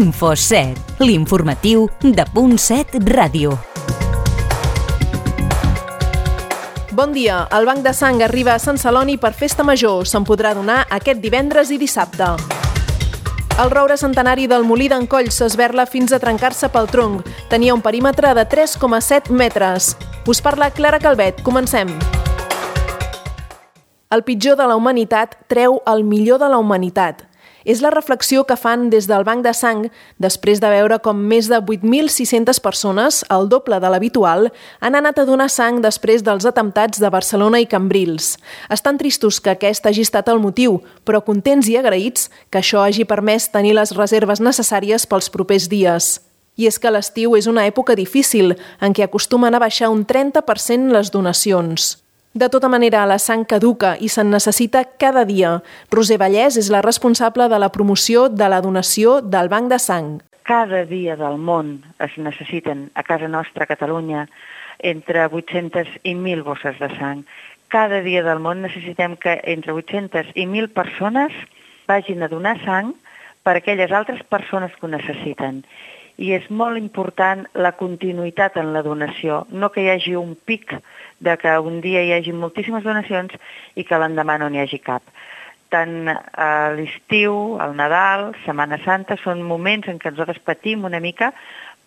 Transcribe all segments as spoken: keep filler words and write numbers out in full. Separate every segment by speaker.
Speaker 1: Info set, l'informatiu de Punt set Ràdio.
Speaker 2: Bon dia. El Banc de Sang arriba a Sant Celoni per Festa Major. Se'n podrà donar aquest divendres i dissabte. El roure centenari del Molí d'en Coll s'esberla fins a trencar-se pel tronc. Tenia un perímetre de tres coma set metres. Us parla Clara Calvet. Comencem. El pitjor de la humanitat treu el millor de la humanitat. És la reflexió que fan des del Banc de Sang després de veure com més de vuit mil sis-centes persones, el doble de l'habitual, han anat a donar sang després dels atemptats de Barcelona i Cambrils. Estan tristos que aquest hagi estat el motiu, però contents i agraïts que això hagi permès tenir les reserves necessàries pels propers dies. I és que l'estiu és una època difícil, en què acostumen a baixar un trenta per cent les donacions. De tota manera, la sang caduca i se'n necessita cada dia. Roser Vallès és la responsable de la promoció de la donació del Banc de Sang.
Speaker 3: Cada dia del món es necessiten, a casa nostra, a Catalunya, entre vuit-centes i mil bosses de sang. Cada dia del món necessitem que entre vuit-centes i mil persones vagin a donar sang per a aquelles altres persones que ho necessiten. I és molt important la continuïtat en la donació, no que hi hagi un pic de que un dia hi hagi moltíssimes donacions i que l'endemà no n'hi hagi cap. Tant a l'estiu, al Nadal, Setmana Santa, són moments en què nosaltres patim una mica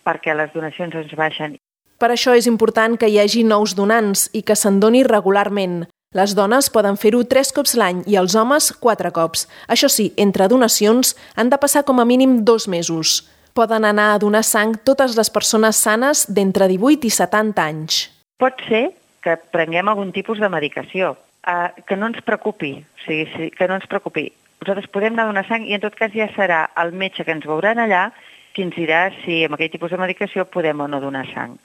Speaker 3: perquè les donacions ens baixen.
Speaker 2: Per això és important que hi hagi nous donants i que se'n doni regularment. Les dones poden fer-ho tres cops l'any i els homes quatre cops. Això sí, entre donacions han de passar com a mínim dos mesos. Poden anar a donar sang totes les persones sanes d'entre divuit i setanta anys.
Speaker 3: Pot ser que prenguem algun tipus de medicació, eh, que no ens preocupi, o sigui, que no ens preocupi. Nosaltres podem anar a donar sang i en tot cas ja serà el metge que ens veuran allà qui ens dirà si amb aquell tipus de medicació podem o no donar sang.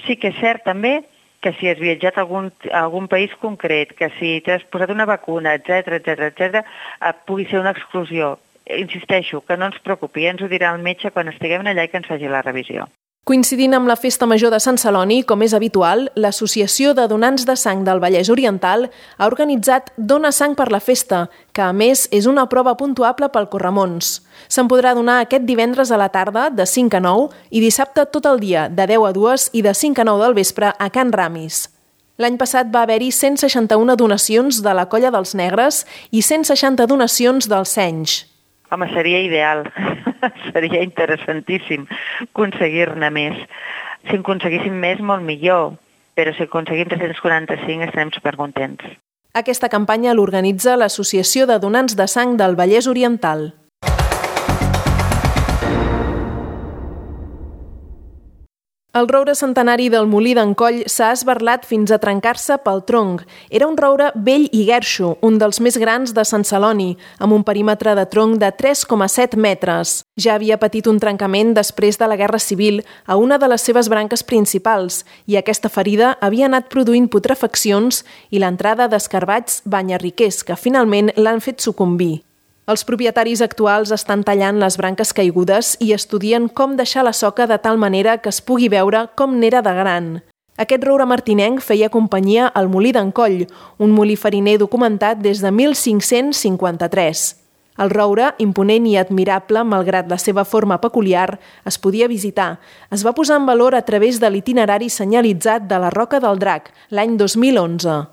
Speaker 3: Sí que és cert també que si has viatjat a algun, a algun país concret, que si t'has posat una vacuna, etcètera, etcètera, etcètera, eh, pugui ser una exclusió. Insisteixo, que no ens preocupi, ens ho dirà el metge quan estiguem allà i que ens faci la revisió.
Speaker 2: Coincidint amb la Festa Major de Sant Celoni, com és habitual, l'Associació de Donants de Sang del Vallès Oriental ha organitzat Dona Sang per la Festa, que a més és una prova puntuable pel Corremons. Se'n podrà donar aquest divendres a la tarda, de cinc a nou, i dissabte tot el dia, de deu a dues i de cinc a nou del vespre a Can Ramis. L'any passat va haver-hi cent seixanta-una donacions de la Colla dels Negres i cent seixanta donacions dels Senys.
Speaker 3: Home, seria ideal, seria interessantíssim aconseguir-ne més. Si en aconseguíssim més, molt millor, però si aconseguim tres-cents quaranta-cinc estarem supercontents.
Speaker 2: Aquesta campanya l'organitza l'Associació de Donants de Sang del Vallès Oriental. El roure centenari del Molí d'en Coll s'ha esberlat fins a trencar-se pel tronc. Era un roure vell i guerxo, un dels més grans de Sant Celoni, amb un perímetre de tronc de tres coma set metres. Ja havia patit un trencament després de la Guerra Civil a una de les seves branques principals i aquesta ferida havia anat produint putrefaccions i l'entrada d'escarbats banyarriquers que finalment l'han fet sucumbir. Els propietaris actuals estan tallant les branques caigudes i estudien com deixar la soca de tal manera que es pugui veure com n'era de gran. Aquest roure martinenc feia companyia al Molí d'en Coll, un molí fariner documentat des de mil cinc-cents cinquanta-tres. El roure, imponent i admirable malgrat la seva forma peculiar, es podia visitar. Es va posar en valor a través de l'itinerari senyalitzat de la Roca del Drac, l'any dos mil onze.